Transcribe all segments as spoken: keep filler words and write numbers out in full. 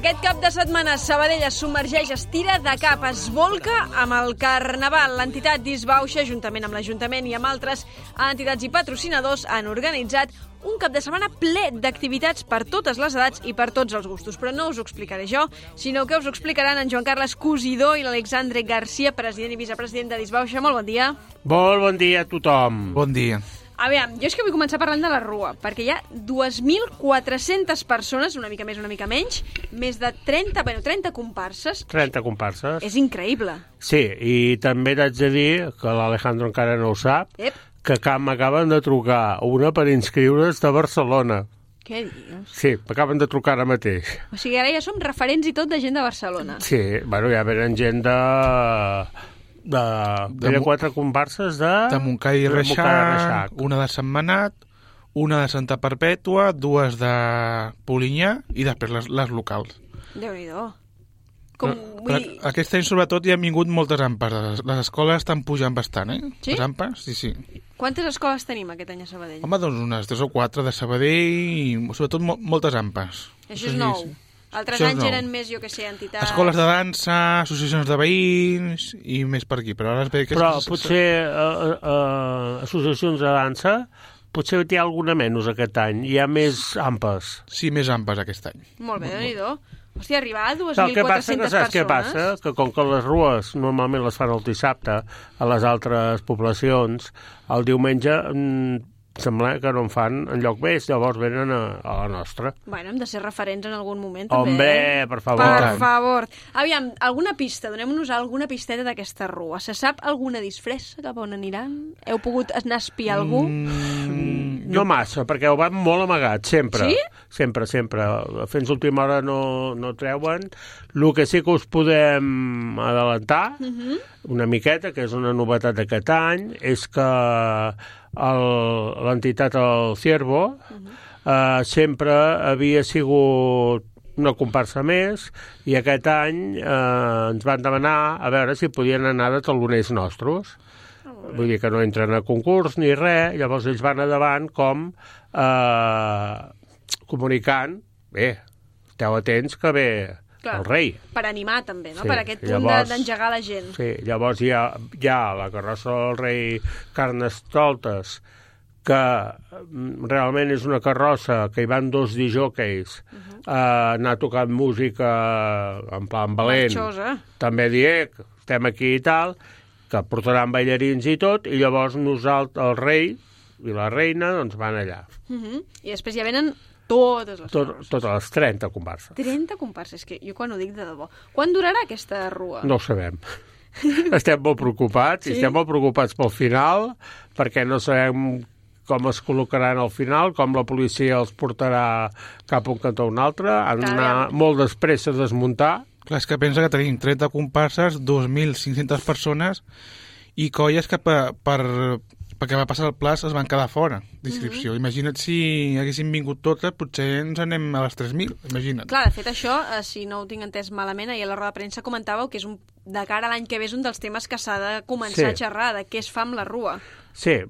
Aquest cap de setmana Sabadell es submergeix, es tira de cap, es volca amb el Carnaval. L'entitat Disbauxa, juntament amb l'Ajuntament i amb altres entitats i patrocinadors, han organitzat un cap de setmana ple d'activitats per totes les edats i per tots els gustos. Però no us ho explicaré jo, sinó que us ho explicaran en Joan Carles Cosidó i l'Alexandre Garcia, president i vicepresident de Disbauxa. Molt bon dia. Molt bon dia a tothom. Bon dia. Aviam, jo és que vull començar parlant de la Rua, perquè hi ha dues mil quatre-centes persones, una mica més, una mica menys, més de trenta, bueno, trenta comparses. trenta comparses. És increïble. Sí, i també t'haig de dir, que l'Alejandro encara no ho sap, Ep. que m'acaben de trucar una per inscriure's de Barcelona. Què dius? Sí, m'acaben de trucar ara mateix. O sigui, ara ja som referents i tot de gent de Barcelona. Sí, bueno, ja venen gent de... de, de, de quatre comparses de... De Montcada i Reixac, una de Sentmenat, una de Santa Perpètua, dues de Polinyà i després les, les locals. Déu-n'hi-do. Com, Però, vull dir... Aquest any, sobretot, hi han vingut moltes ampes. Les, les escoles estan pujant bastant, eh? Sí? Les ampes, sí, sí. Quantes escoles tenim aquest any a Sabadell? Home, doncs unes tres o quatre de Sabadell i, sobretot, mo moltes ampes. Això és nou. Altres Això és anys nou. eren més, jo que sé, entitats... Escoles de dansa, associacions de veïns i més per aquí. Però, ara es ve que Però és... potser uh, uh, associacions de dansa, potser hi ha alguna menys aquest any. Hi ha més ampes. Sí, més ampes aquest any. Molt bé, déu-n'hi-do. Hòstia, arribar a dues El mil que passa, quatre-centes que saps què persones... passa? Que com que les rues normalment les fan el dissabte a les altres poblacions, el diumenge mm, sembla que no en fan enlloc més, llavors venen a, a la nostra. Bueno, hem de ser referents en algun moment, també. Hombre, eh? per favor. Per favor. Aviam, alguna pista, donem-nos alguna pisteta d'aquesta rua. Se sap alguna disfressa cap on aniran? Heu pogut anar a espiar algú? Mm, No massa, perquè ho van molt amagat, sempre. Sí? Sempre, sempre. Fins última hora no, no treuen. El que sí que us podem adelantar, uh -huh. una miqueta, que és una novetat d'aquest any, és que l'entitat El Ciervo uh -huh. eh, sempre havia sigut una comparsa més, i aquest any eh, ens van demanar a veure si podien anar de taloners nostres. Vull dir que no entren a concurs ni res, llavors ells van endavant com eh, comunicant, bé, esteu atents que ve Clar, el rei. Per animar, també, no? Sí, Per aquest punt llavors- d'engegar la gent. Sí, llavors hi ha, hi ha la carrossa del rei Carnestoltes, que mm, realment és una carrossa que hi van dos disjòqueis uh -huh. a anar tocant música en plan valent. Marxosa. També dir que estem aquí i tal, que portaran ballarins i tot, i llavors nosaltres, el rei i la reina, doncs van allà. Uh -huh. I després ja venen totes les Tot, carrosses. totes les trenta comparses. trenta comparses, que jo quan ho dic de debò. Quan durarà aquesta rua? No ho sabem. Estem molt preocupats, Sí? i estem molt preocupats pel final, perquè no sabem com es col·locaran al final, com la policia els portarà cap a un cantó o un altre, han d'anar molt després a desmuntar. Clar, és que pensa que tenim trenta comparses, dos mil cinc-centes persones i colles que per, per, perquè va passar el pla es van quedar fora d'inscripció. Mm -hmm. Imagina't si haguessin vingut totes, potser ens anem a les tres mil, imagina't. Clar, de fet, això, eh, si no ho tinc entès malament, ahir a la roda de premsa comentàveu que és un, de cara a l'any que ve és un dels temes que s'ha de començar Sí. a xerrar, de què es fa amb la rua. Sí,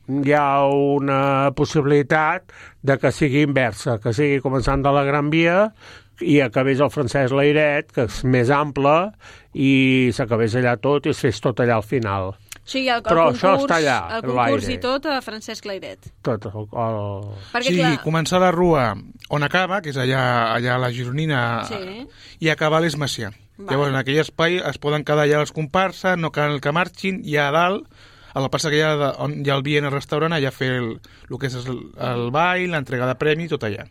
hi ha una possibilitat de que sigui inversa, que sigui començant de la Gran Via i acabés el Francesc Layret, que és més ample, i s'acabés allà tot i es fes tot allà al final. O sigui, el, el Però concurs, això està allà, el concurs l'aire. i tot a Francesc Layret. Tot el... el... Perquè, Sí, clar, començar la rua on acaba, que és allà, allà a la Gironina, Sí. i acabar a l'Eix Macià. Vale. Llavors, en aquell espai es poden quedar allà les comparses, no cal que marxin, i a dalt, a la plaça que hi ha, de, on hi ha el vi en el restaurant, allà fer el, el que és el, el ball, l'entrega de premis, tot allà.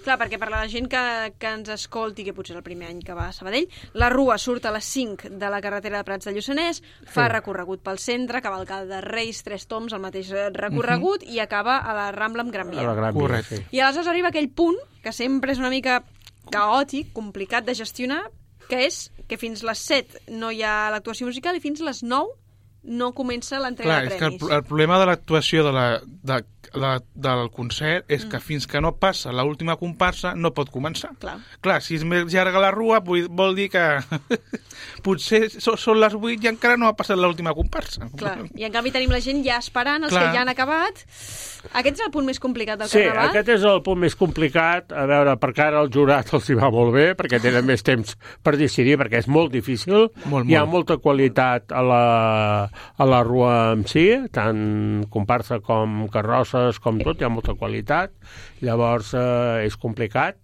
clar, perquè per la gent que, que ens escolti, que potser és el primer any que va a Sabadell, la rua surt a les cinc de la carretera de Prats de Lluçanès, fa Sí. recorregut pel centre, cavalcada de Reis, Tres Toms, el mateix recorregut, uh-huh. i acaba a la Rambla amb Gran a Via. la Gran Via, Correcte. sí. I aleshores arriba aquell punt, que sempre és una mica caòtic, complicat de gestionar, que és que fins les set no hi ha l'actuació musical i fins les nou no comença l'entrega Clar, de és que el, premis. el problema de l'actuació de la, de, de, del concert és que fins que no passa l'última comparsa no pot començar. Clar. Clar, si és més llarga la rua vol dir que potser són les vuit i encara no ha passat l'última comparsa. Clar, i en canvi tenim la gent ja esperant, els Clar. que ja han acabat. Aquest és el punt més complicat del sí, Carnaval? Sí, aquest és el punt més complicat. A veure, perquè ara el jurat els hi va molt bé, perquè tenen més temps per decidir, perquè és molt difícil. Molt, Hi ha molt. molta qualitat a la, a la rua en si, tant comparsa com carrosses, com tot, hi ha molta qualitat. Llavors eh, és complicat,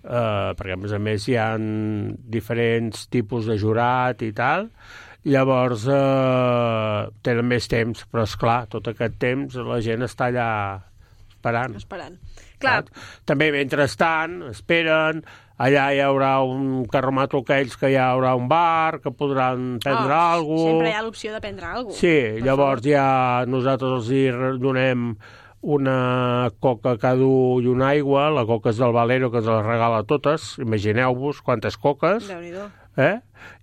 eh, perquè a més a més hi ha diferents tipus de jurat i tal. Llavors eh, tenen més temps, però esclar, tot aquest temps la gent està allà esperant. Esperant. Clar. També, mentrestant, esperen, allà hi haurà un carromato aquells que hi haurà un bar, que podran prendre oh, alguna cosa. Sempre hi ha l'opció de prendre alguna cosa. Sí, llavors ja nosaltres els hi donem una coca cada un i una aigua, la coca és del Valero, que ens la regala totes, imagineu-vos quantes coques. Déu-n'hi-do. Eh?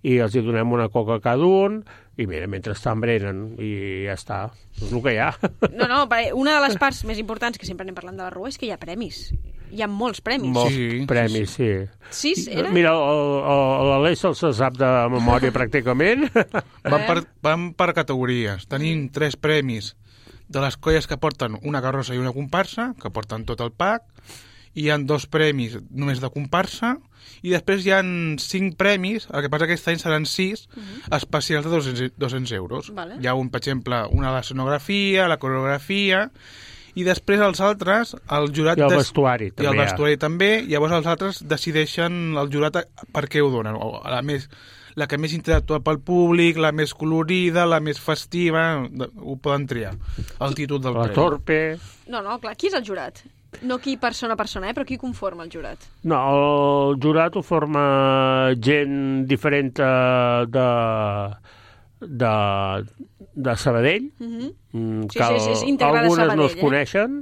I els hi donem una coca cada un, i mira, mentrestant brenen, i ja està. És el que hi ha. No, no, una de les parts més importants que sempre anem parlant de la rua és que hi ha premis. Hi ha molts premis. Molts Sí, premis, sí. Sis, era? Mira, l'Aleix se'l sap de memòria pràcticament. Van per, van per categories. Tenim tres premis de les colles que porten una carrossa i una comparsa, que porten tot el pack. Hi ha dos premis només de comparsa, i després hi ha cinc premis, el que passa que aquest any seran sis, uh-huh. especials de dos-cents euros. Vale. Hi ha un, per exemple, una de l'escenografia, la coreografia, i després els altres, el jurat... I el des... vestuari, també. I el vestuari també, llavors els altres decideixen el jurat per què ho donen, o la més... la que més interactua pel públic, la més colorida, la més festiva, ho poden triar, el títol del La premi. torpe... No, no, clar, qui és el jurat? No qui persona a persona, eh, però qui conforma el jurat? No, el jurat ho forma gent diferent de, de, de Sabadell, Uh-huh. mm, Sí, que sí, sí, és íntegre de algunes Sabadell, no es eh? coneixen,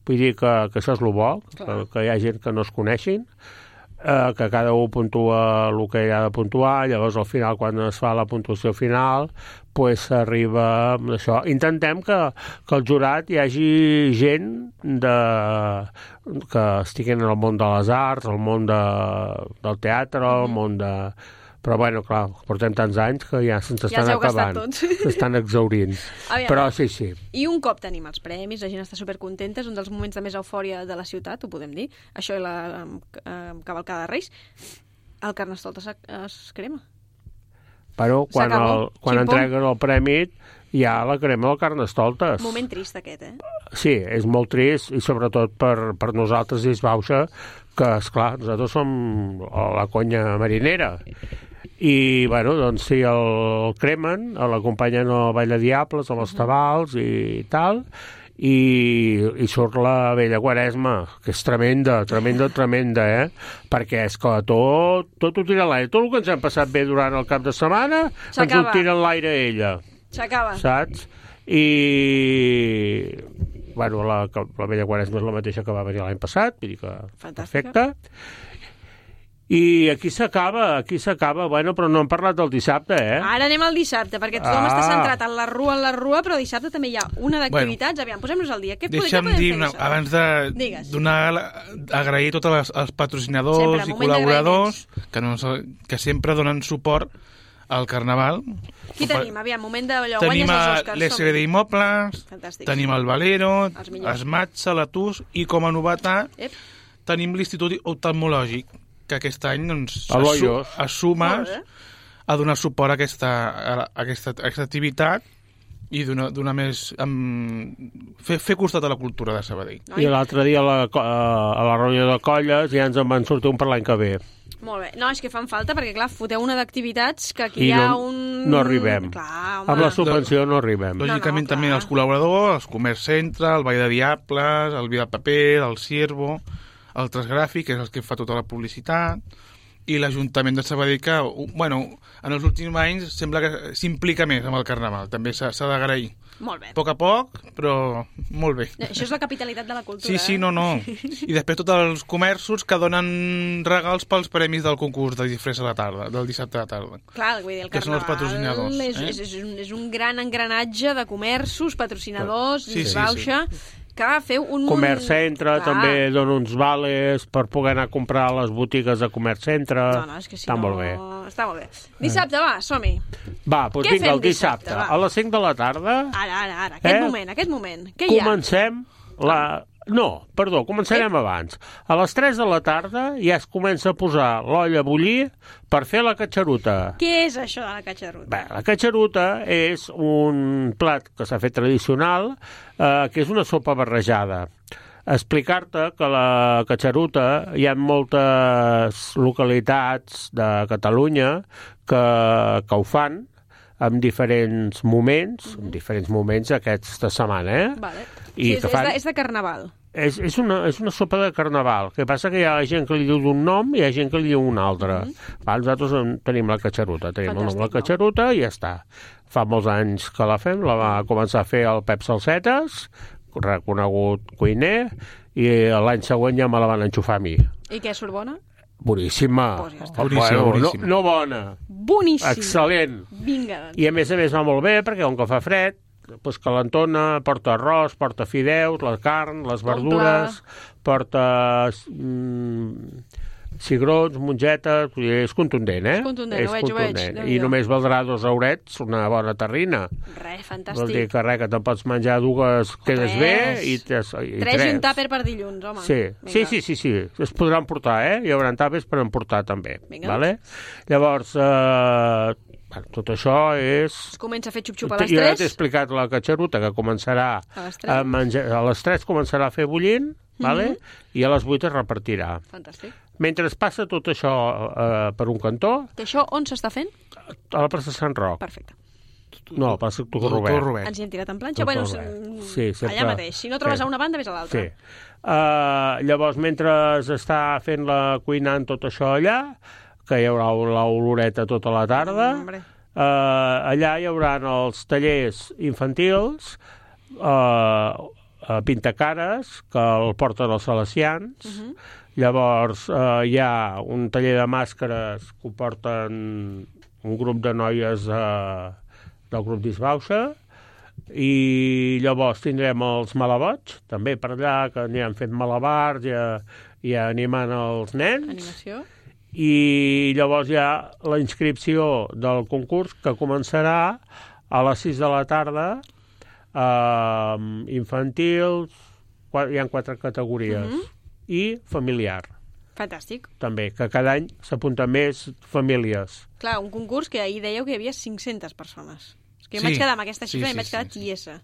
vull dir que, que això és el bo, que, Clar. que hi ha gent que no es coneixin, eh, que cada un puntua el que ha de puntuar, llavors al final, quan es fa la puntuació final, pues s'arriba amb això. Intentem que, que el jurat hi hagi gent de, que estiguin en el món de les arts, el món de, del teatre, el món de... Però, bueno, clar, portem tants anys que ja se'ns Ja estan els heu gastat acabant. tots. S'estan exhaurint. Aviam. Però sí, sí. I un cop tenim els premis, la gent està supercontenta, és un dels moments de més eufòria de la ciutat, ho podem dir, això i la eh, cavalcada de Reis, el Carnestoltes es, es crema. Però quan, S'acabó. el, quan Ximpom. entreguen el premi ja la crema del Carnestoltes. Moment trist aquest, eh? Sí, és molt trist i sobretot per, per nosaltres dins Bauxa, que, esclar, nosaltres som la conya marinera. I, bueno, doncs sí, el cremen, l'acompanyen al Ball de Diables, a les tabals i tal, i, i surt la vella Quaresma, que és tremenda, tremenda, tremenda, eh? Perquè és que tot, tot ho tira a l'aire. Tot el que ens hem passat bé durant el cap de setmana, ens ho S'acaba. tira a l'aire ella, S'acaba. saps? I... Bueno, la, la vella Quaresma és la mateixa que va venir l'any passat, vull dir que Fantàstica. perfecte. I aquí s'acaba, aquí s'acaba, bueno, però no hem parlat del dissabte, eh? Ara anem al dissabte, perquè tothom Ah. està centrat en la rua, en la rua, però dissabte també hi ha una d'activitats. Aviam, posem-nos al dia. Què podem, Deixa'm què podem dir, fer una, dissabte? abans de Digues. donar, la- agrair a tots els, els patrocinadors Sempre, i moment col·laboradors que, no, que sempre donen suport al Carnaval. Qui tenim? Aviam, moment d'allò, Tenim guanyes a els Oscars. l'S B D som-hi. Immobles, Fantàstic. tenim el Valero, Els millors. Esmatxa, l'Atus, i com a novetat Ep. tenim l'Institut Oftalmològic, que aquest any doncs, A l'Hoyos. assuma Molt bé. a donar suport a aquesta, a aquesta, a aquesta activitat i donar, donar més... Amb, fer, fer costat a la cultura de Sabadell. Noi. I l'altre dia a la, co- a la reunió de colles ja ens en van sortir un per l'any que ve. Molt bé. No, és que fan falta, perquè, clar, foteu una d'activitats que aquí I hi ha no- un... no arribem. Clar, home. Amb la subvenció no arribem. No, no, Lògicament clar. també els col·laboradors, els Comerç Centre, el Ball de Diables, el Vida Paper, el Ciervo, el Transgràfic, que és el que fa tota la publicitat, i l'Ajuntament de Sabadell, que, bueno, en els últims anys sembla que s'implica més amb el Carnaval, també s'ha s'ha d'agrair. Molt bé. A poc a poc, però molt bé. Això és la capitalitat de la cultura, Sí, sí, eh? no, no. I després tots els comerços que donen regals pels premis del concurs de disfressa a la tarda, del dissabte a la tarda. Clar, vull dir, el Que són els Carnaval patrocinadors, és, eh? és, és, un, és un gran engranatge de comerços, patrocinadors, Sí, sí, sí, Bauxa, que feu un... Comerç Centre, Clar. també dona uns vales per poder anar a comprar a les botigues de Comerç Centre. No, no, és que si Està no... molt bé. Està molt bé. Dissabte, va, som-hi. Va, doncs Què vinga, fem el dissabte, dissabte, va? a les cinc de la tarda... Ara, ara, ara, aquest Eh? moment, aquest moment. Què hi ha? Comencem la... No, perdó, començarem Eh? abans. A les tres de la tarda ja es comença a posar l'olla a bullir per fer la catxaruta. Què és això de la catxaruta? Bé, la catxaruta és un plat que s'ha fet tradicional, eh, que és una sopa barrejada. Explicar-te que la catxaruta hi ha moltes localitats de Catalunya que, que ho fan en diferents moments, mm-hmm. en diferents moments aquesta setmana, eh? Vale. I Sí, és, que fan... és, de, és de carnaval. És, és, una, és una sopa de carnaval. El que passa que hi ha gent que li diu d'un nom i hi ha gent que li diu un altre. Mm-hmm. Va, nosaltres en tenim la catxaruta, tenim el nom de la catxaruta i ja està. Fa molts anys que la fem, la va començar a fer el Pep Salsetes, reconegut cuiner, i l'any següent ja me la van enxufar a mi. I què, surt bona? Boníssima. Pues ja està. Boníssima, Bueno, boníssima. No, no bona. Boníssim. Excel·lent. Vinga, doncs. I a més a més va molt bé perquè com que fa fred, doncs calentona, porta arròs, porta fideus, la carn, les verdures, porta mm, cigrons, mongetes, vull dir, és contundent, eh? És contundent, ho veig, ho veig. I Déu-n'hi-do. només valdrà dos eurets, una bona terrina. Res, Vol dir fantàstic. que res, que te'n pots menjar dues, quedes Tres. bé, i, tres, i Tres tres. i un tàper per dilluns, home. Sí, Vinga. sí, sí, sí, sí, es podran portar, eh? Hi haurà tàpers per emportar, també. Vinga. Vale? Llavors, eh, tot això és... Es comença a fer xup-xup a les Jo ja t'he tres. explicat la catxaruta, que començarà A les tres. a menjar... A les tres començarà a fer bullint, vale? I a les vuit es repartirà. Fantàstic. Mentre es passa tot això eh, per un cantó, Que això on s'està fent? a la plaça Sant Roc. Perfecte. No, a la plaça Doctor Doctor Robert. Robert. Ens hi hem tirat en planxa? Doctor Bueno, Robert. s- Sí, sempre- allà mateix. Si no trobes Sí. a una banda, ves a l'altra. Sí. Uh, llavors, mentre està fent la cuinant tot això allà, que hi haurà l'oloreta tota la tarda, Hombre. uh, allà hi haurà els tallers infantils, uh, uh, pintacares, que el porten els salesians. Uh -huh. Llavors, uh, hi ha un taller de màscares que ho porten un grup de noies uh, del grup Disbauxa, i llavors tindrem els malabots, també per allà, que aniran fent malabars i, i animant els nens. Animació. I llavors hi ha la inscripció del concurs, que començarà a les sis de la tarda, eh, infantils, qua- hi ha quatre categories, Mhm. i familiar, Fantàstic. també, que cada any s'apunten més famílies. Clar, un concurs que ahir dèieu que hi havia cinc-centes persones. És que jo Sí. m'haig quedar amb aquesta Sí, xifra sí, i m'haig sí, quedat sí. tiesa.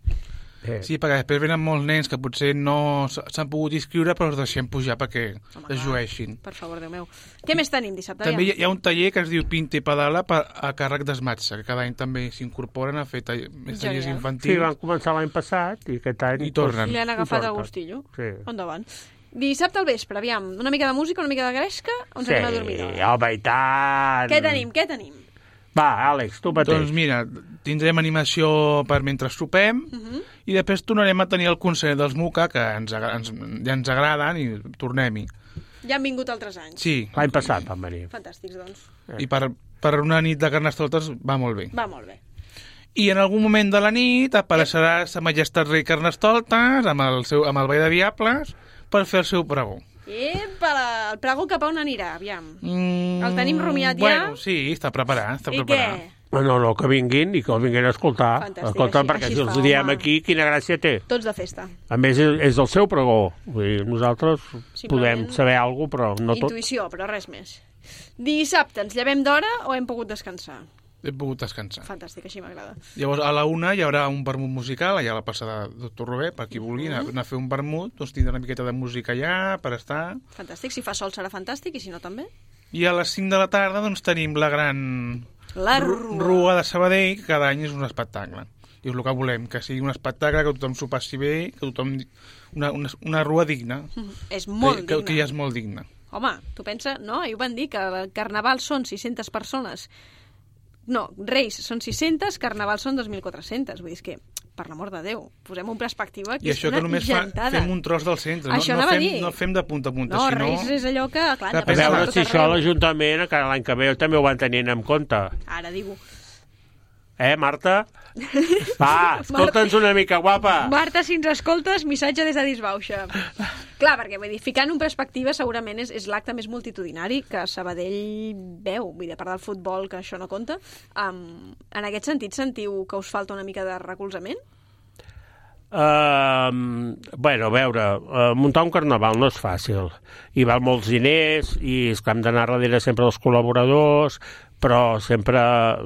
Eh, Sí, perquè després venen molts nens que potser no s- s'han pogut inscriure, però els deixem pujar perquè Home, es clar. jueixin. Per favor, Déu meu. Què més tenim dissabte? També hi ha, Aviam. hi ha un taller que es diu Pinta i Pedala per, a càrrec d'Esmatxa, que cada any també s'incorporen a fer tall, més tallers Genial. infantils. sí, van començar l'any passat i aquest any... I tornen. I li han agafat el porten. gustillo. Sí. Endavant. Dissabte al vespre, aviam. Una mica de música, una mica de gresca, o ens Sí, anem a dormir? home, i tant! Què tenim, què tenim? Va, Àlex, tu mateix. Doncs mira, tindrem animació per mentre sopem Uh -huh. i després tornarem a tenir el concert dels Muca, que ens, agra- ens, ja ens agraden, i tornem-hi. Ja han vingut altres anys. Sí, L'any passat van venir. Fantàstics, doncs. i per, per una nit de Carnestoltes va molt bé. Va molt bé. I en algun moment de la nit apareixerà Sa Majestat Rei Carnestoltes amb el, seu, amb el Ball de Diables per fer el seu pregó. Epa, la- el pregó cap a on anirà, aviam. Mm, El tenim rumiat ja? Bueno, sí, està preparat, està I preparat. què? No, no, que vinguin i que el vinguin a escoltar. Fantàstic, Escolta, així- perquè així si es els fa, diem home. aquí, quina gràcia té. Tots de festa. A més, és, és el seu pregó. Vull dir, nosaltres Simplement podem saber alguna cosa, però no tot. Intuïció, però res més. Dissabte, ens llevem d'hora o hem pogut descansar? He pogut descansar. Fantàstic, així m'agrada. Llavors, a la una hi haurà un vermut musical, allà a la plaça de Doctor Robert, per qui vulgui anar, anar a fer un vermut, doncs tindrà una miqueta de música allà per estar. Fantàstic, si fa sol serà fantàstic i si no també. I a les cinc de la tarda doncs tenim la gran La ru- rua. rua de Sabadell, que cada any és un espectacle. I és el que volem, que sigui un espectacle, que tothom s'ho passi bé, que tothom... Una, una, una rua digna. Mhm. És molt que, digna. que ja és molt digna. Home, tu pensa, no? Ahir ho van dir, que el carnaval són sis-centes persones. No, Reis són sis-centes, carnaval són dos mil quatre-centes. Vull dir, és que, per l'amor de Déu, posem en perspectiva que I és això una que només fa, gentada. fem un tros del centre, Això no, no, anava a fem, dir. no fem de punta a punta, No, sinó... Reis és allò que, clar, Que A Pensava veure tot si això arreu. l'Ajuntament, que l'any que ve també ho van tenint en compte. Ara digo, Eh, Marta? Va, escolta'ns una mica, guapa. Marta, si ens escoltes, missatge des de Disbauxa. Clar, perquè vull dir, ficant en perspectiva segurament és, és l'acte més multitudinari que Sabadell veu, vull dir, a part del futbol, que això no compta. Um, en aquest sentit, sentiu que us falta una mica de recolzament? Uh, bueno, a veure, uh, muntar un carnaval no és fàcil. Hi val molts diners i és que hem d'anar darrere sempre dels col·laboradors, però sempre,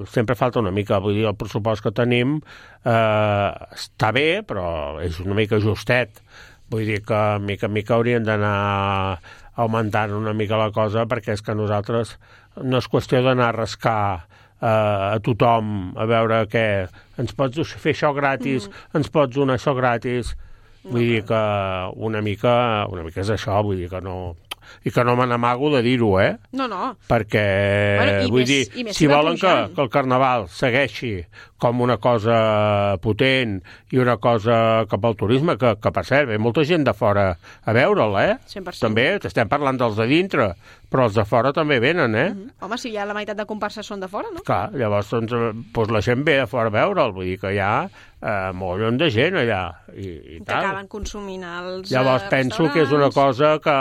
sempre falta una mica. Vull dir, el pressupost que tenim eh, està bé, però és una mica justet. Vull dir que mica en mica haurien d'anar augmentant una mica la cosa, perquè és que nosaltres no és qüestió d'anar a rascar eh, a tothom, a veure què, ens pots fer això gratis, mm. ens pots donar això gratis. Vull dir que una mica, una mica és això, vull dir que no... i que no me n'amago de dir-ho, eh? No, no. Perquè, bueno, vull més, dir, si volen que, que el carnaval segueixi com una cosa potent i una cosa cap al turisme, que, que per cert, ve molta gent de fora a veure'l, eh? cent per cent. També, estem parlant dels de dintre, però els de fora també venen, eh? Mm-hmm. Home, si ja la meitat de comparses són de fora, no? Clar, llavors doncs, doncs la gent ve de fora a veure'l, vull dir que hi ha eh, molt de gent allà. I, i que tal. acaben consumint els Llavors penso que és una cosa que,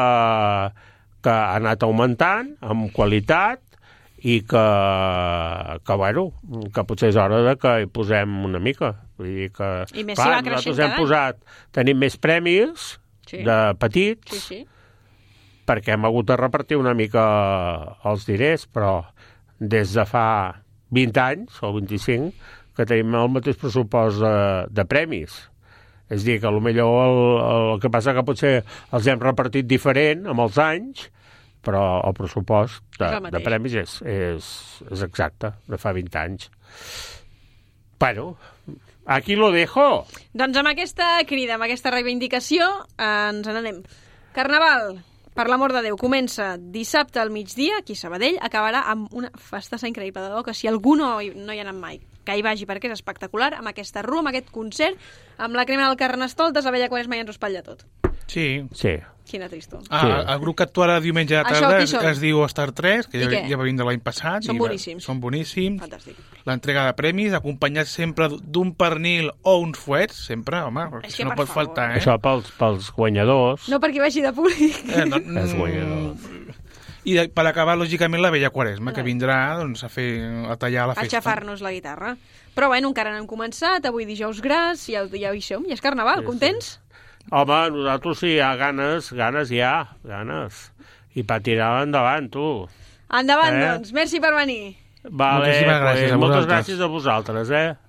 que ha anat augmentant amb qualitat i que, que, bueno, que potser és hora de que hi posem una mica. Vull dir que, I més clar, si va creixent nosaltres hem posat, tenim més premis sí. de petits, sí, sí. perquè hem hagut de repartir una mica els diners, però des de fa vint anys o vint-i-cinc que tenim el mateix pressupost de, de premis. És a dir, que potser el, el que passa que potser els hem repartit diferent amb els anys, però el pressupost de, de premis és, és, és exacte, de fa vint anys. Bueno, aquí lo dejo. Doncs amb aquesta crida, amb aquesta reivindicació, ens n'anem. Carnaval, per l'amor de Déu, comença dissabte al migdia, aquí a Sabadell, acabarà amb una festassa increïble de debò, que si algú no, no hi ha anat mai, que hi vagi perquè és espectacular, amb aquesta rua, amb aquest concert, amb la crema del Carnestoltes, a Vella Quaresma i ens ho espatlla tot. Sí. Sí. Quina tristor. Ah, sí. El grup que actuarà diumenge a la tarda es, es diu Star tres, que ja, ja va vindre l'any passat. Són boníssims. Són boníssims. Fantàstic. L'entrega de premis, acompanyat sempre d'un pernil o uns fuets, sempre, home, és això no pot favor. faltar, eh? Això pels, pels guanyadors. No perquè vagi de públic. Eh, no, és guanyador. I per acabar, lògicament, la Vella Quaresma, que vindrà doncs, a, fer, a tallar la festa. A xafar-nos la guitarra. Però, bueno, encara no hem començat, avui dijous gras, ja, ja hi som, ja és Carnaval, sí, contents? Sí. Home, nosaltres sí, hi ha ganes, ganes hi ha, ganes. I per tirar endavant, tu. Endavant, eh? doncs. Merci per venir. Vale, moltíssimes gràcies pues, a moltes vosaltres. gràcies a vosaltres, eh?